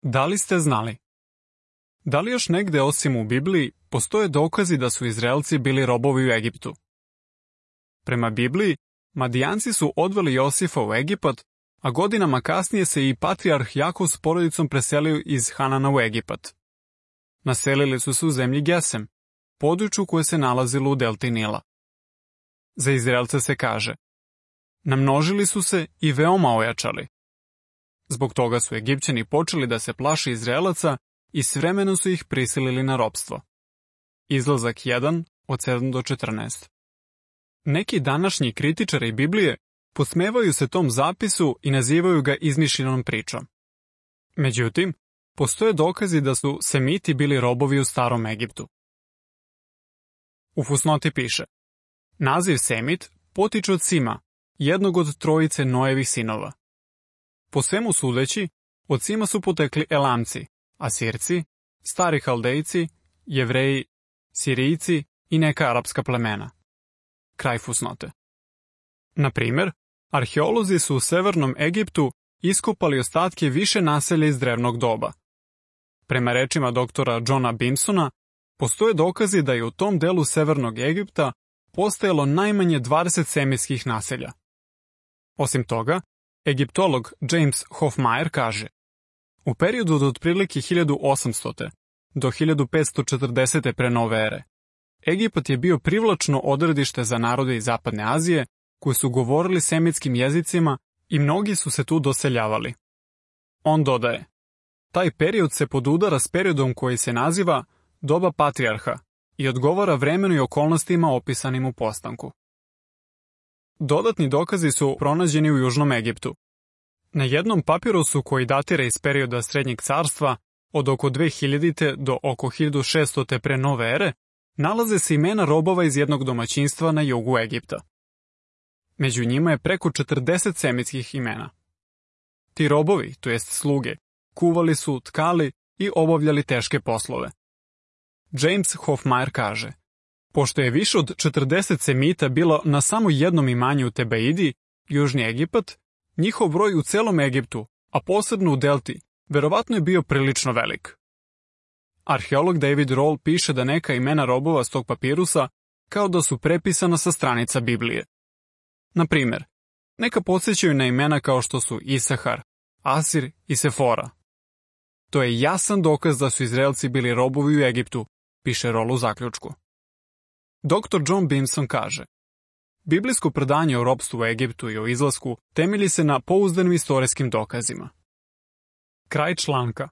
Da li ste znali? Da li još negde osim u Bibliji postoje dokazi da su Izraelci bili robovi u Egiptu? Prema Bibliji, Madijanci su odveli Josifa u Egipat, a godinama kasnije se i patrijarh Jakov s porodicom preselio iz Hanana u Egipat. Naselili su se u zemlji Gesem, području koje se nalazilo u delti Nila. Za Izraelce se kaže: namnožili su se i veoma ojačali. Zbog toga su Egipćani počeli da se plaše Izraelaca i s vremenom su ih prisilili na ropstvo. Izlazak 1 od 7 do 14. Neki današnji kritičari Biblije posmevaju se tom zapisu i nazivaju ga izmišljenom pričom. Međutim, postoje dokazi da su Semiti bili robovi u starom Egiptu. U fusnoti piše: naziv Semit potiče od Sima, jednog od trojice Noevih sinova. Po svemu sudeći, od Sima su potekli Elamci, Asirci, stari Haldejci, Jevreji, Sirijci i neka arapska plemena. Kraj fusnote. Na primjer, arheolozi su u severnom Egiptu iskopali ostatke više naselja iz drevnog doba. Prema rečima doktora Johna Bimsona, postoje dokazi da je u tom delu severnog Egipta postojalo najmanje 20 semirskih naselja. Osim toga, egiptolog James Hofmeyr kaže: u periodu od otprilike 1800. do 1540. pre nove ere, Egipat je bio privlačno odredište za narode iz Zapadne Azije koji su govorili semitskim jezicima i mnogi su se tu doseljavali. On dodaje: taj period se podudara s periodom koji se naziva doba patrijarha i odgovara vremenu i okolnostima opisanim u postanku. Dodatni dokazi su pronađeni u Južnom Egiptu. Na jednom papirusu koji datira iz perioda Srednjeg carstva od oko 2000. do oko 1600. pre nove ere, nalaze se imena robova iz jednog domaćinstva na jugu Egipta. Među njima je preko 40 semitskih imena. Ti robovi, to jest sluge, kuvali su, tkali i obavljali teške poslove. James Hofmeyr kaže: pošto je više od 40 Semita bilo na samo jednom imanju u Tebaidi, Južni Egipat, njihov broj u celom Egiptu, a posebno u delti, verovatno je bio prilično velik. Arheolog David Roll piše da neka imena robova s tog papirusa kao da su prepisana sa stranica Biblije. Na primjer, neka podsjećaju na imena kao što su Isahar, Asir i Sefora. To je jasan dokaz da su Izraelci bili robovi u Egiptu, piše Roll u zaključku. Dr. John Bimson kaže: biblijsko predanje o ropstvu u Egiptu i o izlasku temelji se na pouzdanim istorijskim dokazima. Kraj članka.